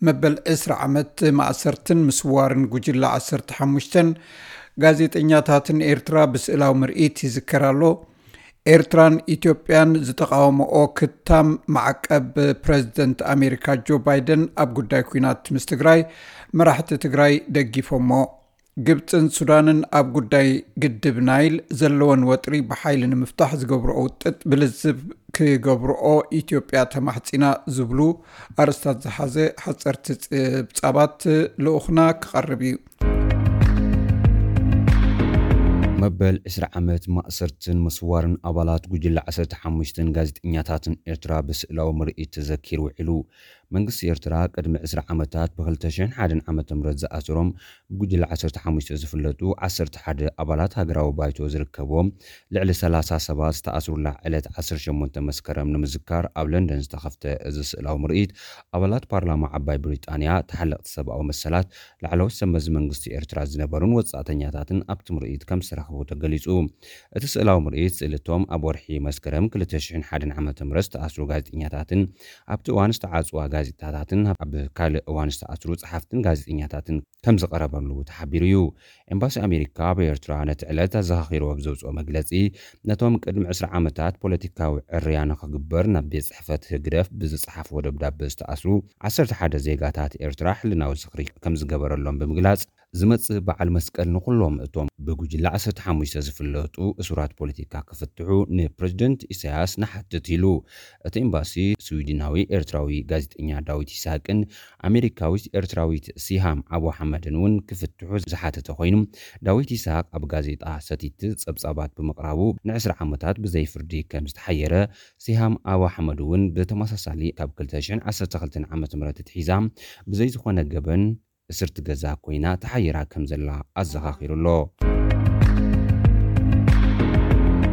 መበል ዕስራ ዓመት ማእሰርትን ምስዋርን ጉጅለ ዓሰርተ ሓሙሽተ ጋዜጠኛታትን ኤርትራ ብስእላዊ ምርኢት ይዝከር ኣሎ። ኤርትራን ኢትዮጵያን ዝተቃወመኦ ክታም ማዕቀብ ፕረዚደንት ኣሜሪካ ጆ ባይደን ኣብ ጉዳይ ኲናት ምስ ትግራይ፣ መራሕቲ ትግራይ ደጊፎሞ። ግብፅን ሱዳንን ኣብ ጉዳይ ግድብ ናይል ዘለወን ወጥሪ ብሓይሊ ንምፍታሕ ዝገብርኦ ውጥጥ ብልዝብ ክገብርኦ ኢትዮጵያ ተማሕፂና ዝብሉ ኣርእስታት ዝሓዘ ሓፀርቲ ጸብጻባት ልኡኽና ክቐርብ እዩ። መበል ዕስራ ዓመት ማእሰርትን መስዋርን ኣባላት ጉጅለ ዓሰርተ ሓሙሽተ ጋዜጠኛታትን ኤርትራ ብስእላዊ ምርኢት ተዘኪሩ ውዒሉ። መንግስቲ ኤርትራ ቅድሚ ዕስራ ዓመታት ብ ክልተ ሽሕን ሓደን ዓመተ ምህረት ዝኣሰሮም ብጉጅለ ዓሰርተ ሓሙሽተ ዝፍለጡ ዓሰርተ ሓደ ኣባላት ሃገራዊ ባይቶ ዝርከብዎም ልዕሊ ሰላሳ ሰባት ዝተኣስሩላ ዕለት ዓሰርተ ሸሞንተ መስከረም ንምዝካር ኣብ ለንደን ዝተኸፍተ እዚ ስእላዊ ምርኢት ኣባላት ፓርላማ ዓባይ ብሪጣንያ፣ ተሓለቕቲ ሰብኣዊ መሰላት፣ ላዕለዎት ሰብ መዚ መንግስቲ ኤርትራ ዝነበሩን ወጻእተኛታትን ኣብቲ ምርኢት ከም ዝተረኽቡ ተገሊጹ። እቲ ስእላዊ ምርኢት ስእልቶም ኣብ ወርሒ መስከረም ክልተ ሽሕን ሓደን ዓመተ ምህረት ዝተኣስሩ ጋዜጠኛታትን ኣብቲ እዋን ዝተዓጽዋ ጋዜጣታትን ኣብ ካልእ እዋን ዝተኣስሩ ጸሓፍትን ጋዜጠኛታትን ከም ዝቐረበሉ ተሓቢሩ እዩ። ኤምባሲ ኣሜሪካ ኣብ ኤርትራ ነቲ ዕለት ኣዘኻኺርዎ ብዘውጽኦ መግለጺ፣ ነቶም ቅድሚ ዕስራ ዓመታት ፖለቲካዊ ዕርያ ንኽግበር ናብ ቤት ጽሕፈት ህግደፍ ብዝጸሓፍዎ ደብዳበ ዝተኣስሩ ዓሰርተ ሓደ ዜጋታት ኤርትራ ሕልናዊ ዝኽሪ ከም ዝገበረሎም ብምግላጽ፣ ዝመጽእ በዓል መስቀል ንኹሎም እቶም ብጉጅለ ዓሰርተ ሓሙሽተ ዝፍለጡ እሱራት ፖለቲካ ክፍትሑ ንፕረዚደንት ኢሳያስ ንሓትት ኢሉ። እቲ ኤምባሲ ስዊድናዊ ኤርትራዊ ጋዜጠኛ ዳዊት ይስሃቅን ኣሜሪካዊት ኤርትራዊት ሲሃም ኣቡ ሓመድን እውን ክፍትሑ ዝሓተተ ኮይኑ፣ ዳዊት ይስሃቅ ኣብ ጋዜጣ ሰቲት ጸብጻባት ብምቕራቡ ንዕስራ ዓመታት ብዘይ ፍርዲ ከም ዝተሓየረ፣ ሲሃም ኣቡ ሓመድ እውን ብተመሳሳሊ ካብ ክልተ ሽሕን ዓሰርተ ክልተን ዓመተ ምህረት ኣትሒዛ ብዘይ ዝኾነ ገበን እስርቲ ገዛ ኮይና ተሓይራ ከም ዘላ ኣዘኻኺሩ ኣሎ።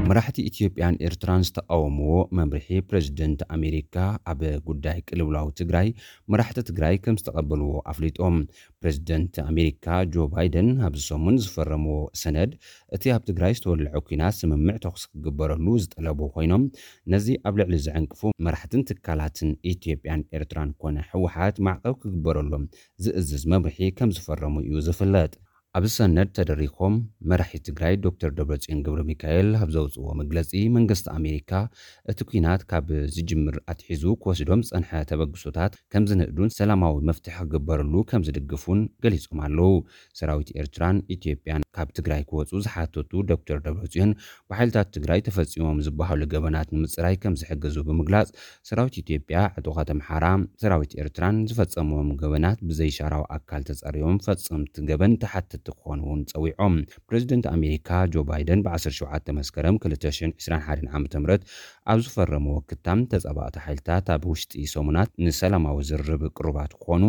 መራሕቲ ኢትዮጵያን ኤርትራን ዝተቃወምዎ መምርሒ ፕረዚደንት ኣሜሪካ ኣብ ጉዳይ ቅልውላው ትግራይ መራሕቲ ትግራይ ከም ዝተቐበልዎ ኣፍሊጦም። ፕረዚደንት ኣሜሪካ ጆ ባይደን ኣብዚ ሰሙን ዝፈረምዎ ሰነድ እቲ ኣብ ትግራይ ዝተወልዐ ኲናት ስምምዕ ተኹሲ ክግበረሉ ዝጠለቡ ኮይኖም፣ ነዚ ኣብ ልዕሊ ዘዕንቅፉ መራሕትን ትካላትን ኢትዮጵያን ኤርትራን ኮነ ህወሓት ማዕቀብ ክግበረሎም ዝእዝዝ መምርሒ ከም ዝፈረሙ እዩ ዝፍለጥ። ኣብዚ ሰነድ ተደሪኾም መራሒ ትግራይ ዶክተር ደብረጽዮን ገብረ ሚካኤል ኣብ ዘውፅዎ መግለፂ፣ መንግስቲ ኣሜሪካ እቲ ኲናት ካብ ዝጅምር ኣትሒዙ ክወስዶም ዝፀንሐ ተበግሶታት ከም ዝንእዱን ሰላማዊ መፍትሒ ክግበረሉ ከም ዝድግፉን ገሊጾም ኣለዉ። ሰራዊት ኤርትራን ኢትዮጵያን ካብ ትግራይ ክወፁ ዝሓተቱ ዶክተር ደብረጽዮን፣ ብሓይልታት ትግራይ ተፈፂሞም ዝበሃሉ ገበናት ንምፅራይ ከም ዝሕግዙ ብምግላፅ፣ ሰራዊት ኢትዮጵያ ዕጡቓት ኣምሓራ ሰራዊት ኤርትራን ዝፈፀምዎም ገበናት ብዘይሻራዊ ኣካል ተፃሪዮም ፈፀምቲ ገበን ተሓተቲ ክኾኑ እውን ፀዊዖም። ፕረዚደንት ኣሜሪካ ጆ ባይደን ብ ዓሰርተ ሸውዓተ መስከረም ክልተ ሽሕን ዕስራን ሓደን ዓመተ ምህረት ኣብ ዝፈረምዎ ክታም፣ ተፃባእቲ ሓይልታት ኣብ ውሽጢ ሰሙናት ንሰላማዊ ዝርርብ ቅሩባት ክኾኑ፣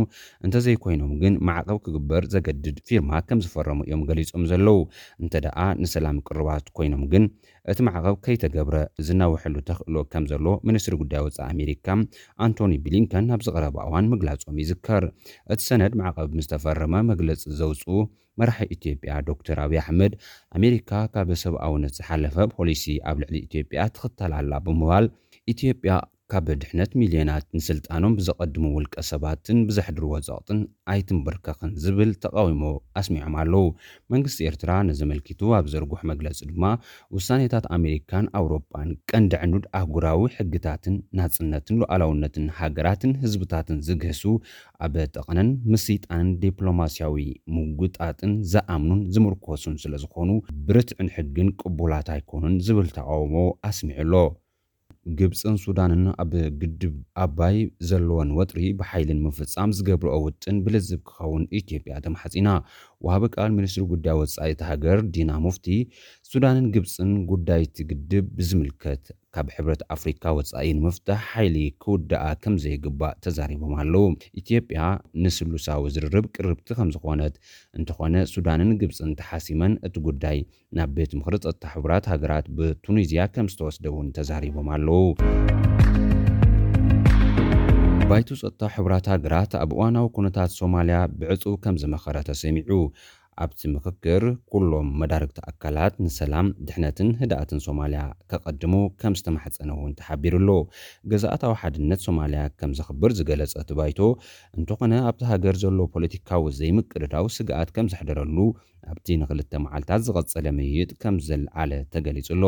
እንተዘይኮይኖም ግን ማዕቐብ ክግበር ዘገድድ ፊርማ ከም ዝፈረሙ እዮም ገሊጾም ዘለዉ። እንተ ደኣ ንሰላም ቅሩባት ኮይኖም ግን፣ እቲ ማዕቐብ ከይተገብረ ዝናውሐሉ ተኽእሎ ከም ዘሎ ሚኒስትሪ ጉዳይ ወጻኢ ኣሜሪካ ኣንቶኒ ብሊንከን ኣብ ዝቐረበ እዋን ምግላጾም ይዝከር። እቲ ሰነድ ማዕቐብ ምስ ተፈረመ መግለጺ ዘውጽኡ መራሒ ኢትዮጵያ ዶክተር ኣብይ ኣሕመድ፣ ኣሜሪካ ካብ ሰብኣውነት ዝሓለፈ ፖሊሲ ኣብ ልዕሊ ኢትዮጵያ ትኽተል ኣላ ብምባል፣ ኢትዮጵያ ካብ ድሕነት ሚልዮናት ንስልጣኖም ብዘቐድሙ ውልቀ ሰባትን ብዘሕድርዎ ጸቕጥን ኣይትንበርከኽን ዝብል ተቓውሞ ኣስሚዖም ኣለዉ። መንግስቲ ኤርትራ ነዚ ኣመልኪቱ ኣብ ዘርግሖ መግለጺ ድማ፣ ውሳኔታት ኣሜሪካን ኣውሮጳን ቀንዲ ዕኑድ ኣህጉራዊ ሕግታትን ናጽነትን ሉዓላውነትን ሃገራትን ህዝብታትን ዝግህሱ፣ ኣብ ጠቐነን ምስይጣንን ዲፕሎማስያዊ ምጉጣጥን ዝኣምኑን ዝምርኮሱን ስለ ዝኾኑ፣ ብርትዕን ሕግን ቅቡላት ኣይኮኑን ዝብል ተቓውሞ ኣስሚዑ ኣሎ። ግብጽን ሱዳንን ኣብ ግድብ ኣባይ ዘለወን ወጥሪ ብሓይሊ ንምፍጻም ዝገብርኦ ውጥን ብልዝብ ክኸውን ኢትዮጵያ ተማሕጺና። ወሃቢ ቃል ሚኒስትሪ ጉዳይ ወጻኢ እታ ሃገር ዲና ሙፍቲ፣ ሱዳንን ግብጽን ጉዳይ እቲ ግድብ ብዝምልከት ካብ ሕብረት ኣፍሪካ ወጻኢ ንምፍታሕ ሓይሊ ክውድኣ ከም ዘይግባእ ተዛሪቦም ኣለዉ። ኢትዮጵያ ንስሉሳዊ ዝርርብ ቅርብቲ ከም ዝኾነት፣ እንተኾነ ሱዳንን ግብጽን ተሓሲመን እቲ ጉዳይ ናብ ቤት ምኽሪ ጸጥታ ሕቡራት ሃገራት ብቱኒዝያ ከም ዝተወስደ እውን ተዛሪቦም ኣለዉ። ባይቶ ጸጥታ ሕቡራት ሃገራት ኣብ እዋናዊ ኩነታት ሶማልያ ብዕጹው ከም ዝመኸረ ተሰሚዑ። ኣብቲ ምኽክር ኩሎም መዳርግቲ ኣካላት ንሰላም፣ ድሕነትን ህድኣትን ሶማልያ ከቐድሙ ከም ዝተማሕጸነ እውን ተሓቢሩ ኣሎ። ግዝኣታዊ ሓድነት ሶማልያ ከም ዘኽብር ዝገለጸ እቲ ባይቶ፣ እንተኾነ ኣብቲ ሃገር ዘሎ ፖለቲካዊ ዘይምቅድዳው ስግኣት ከም ዘሕደረሉ ኣብቲ ንክልተ መዓልታት ዝቐጸለ ምይይጥ ከም ዘልዓለ ተገሊጹ ኣሎ።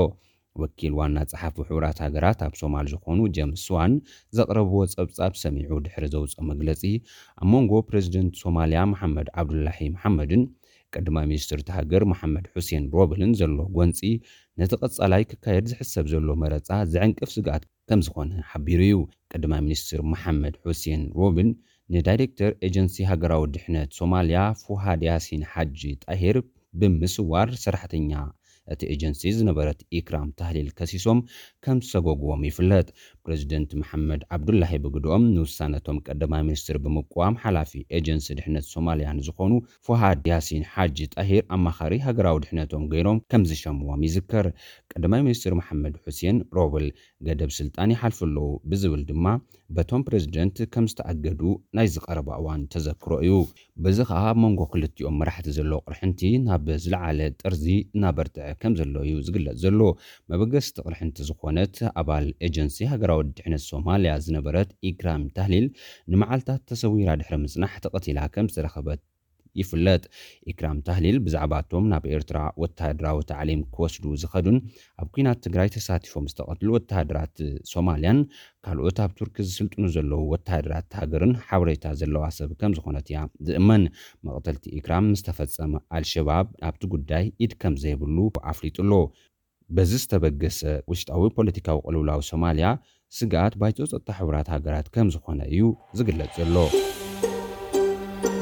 ወኪል ዋና ጸሓፊ ሕቡራት ሃገራት ኣብ ሶማል ዝኾኑ ጀምስ ስዋን ዘቕረብዎ ጸብጻብ ሰሚዑ ድሕሪ ዘውፅኦ መግለጺ፣ ኣብ መንጎ ፕሬዚደንት ሶማልያ መሓመድ ዓብዱላሂ መሓመድን ቀዳማይ ሚኒስትር እቲ ሃገር መሓመድ ሑሴን ሮብልን ዘሎ ጎንፂ ነቲ ቀጻላይ ክካየድ ዝሕሰብ ዘሎ መረጻ ዘዕንቅፍ ስግኣት ከም ዝኾነ ሓቢሩ እዩ። ቀዳማይ ሚኒስትር መሓመድ ሑሴን ሮብል ንዳይሬክተር ኤጀንሲ ሃገራዊ ድሕነት ሶማልያ ፉሃድ ያሲን ሓጂ ጣሂር ብምስዋር ሰራሕተኛ እቲ ኤጀንሲ ዝነበረት ኢክራም ታህሊል ከሲሶም ከም ዝሰጎግዎም ይፍለጥ። ፕሬዚደንት መሓመድ ዓብዱላሂ ብግድኦም ንውሳነቶም ቀዳማይ ሚኒስትር ብምቅዋም ሓላፊ ኤጀንሲ ድሕነት ሶማልያ ንዝኾኑ ፉሃድ ያሲን ሓጂ ጣሂር ኣማኻሪ ሃገራዊ ድሕነቶም ገይሮም ከም ዝሸምዎም ይዝከር። ቀዳማይ ሚኒስትር መሓመድ ሑሴን ሮብል ገደብ ስልጣን ይሓልፉ ኣለዉ ብዝብል ድማ በቶም ፕሬዚደንት ከም ዝተኣገዱ ናይ ዝቐረባ እዋን ተዘክሮ እዩ። በዚ ኸኣ ኣብ መንጎ ክልቲኦም መራሕቲ ዘሎ ቅርሕንቲ ናብ ዝለዓለ ጥርዚ እናበርትዐ ከም ዘሎ እዩ ዝግለጽ ዘሎ። መበገስቲ ቅርሕንቲ ዝኾነት ኣባል ኤጀንሲ ሃገራዊ ድሕነት ሶማልያ ዝነበረት ኢክራም ታህሊል ንመዓልታት ተሰዊራ ድሕሪ ምጽናሕ ተቐቲላ ከም ዝተረኸበት ይፍለጥ። ኢክራም ታህሊል ብዛዕባ እቶም ናብ ኤርትራ ወተሃደራዊ ታዕሊም ክወስዱ ዝኸዱን ኣብ ኲናት ትግራይ ተሳቲፎም ዝተቐትሉ ወተሃደራት ሶማልያን ካልኦት ኣብ ቱርኪ ዝስልጥኑ ዘለዉ ወተሃደራት ሃገርን ሓበሬታ ዘለዋ ሰብ ከም ዝኾነት እያ ዝእመን። መቕተልቲ ኢክራም ምስ ተፈጸመ ኣልሸባብ ኣብቲ ጉዳይ ኢድ ከም ዘይብሉ ኣፍሊጡ ኣሎ። በዚ ዝተበገሰ ውሽጣዊ ፖለቲካዊ ቅልውላው ሶማልያ ስግኣት ባይቶ ጸጥታ ሕቡራት ሃገራት ከም ዝኾነ እዩ ዝግለጽ ዘሎ።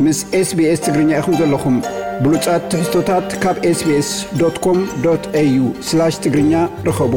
ምስ ኤስቢኤስ ትግርኛ ኢኹም ዘለኹም። ብሉጻት ትሕዝቶታት ካብ ኤስቢኤስ ዶት ኮም ዶት ኤዩ ስላሽ ትግርኛ ርኸቡ።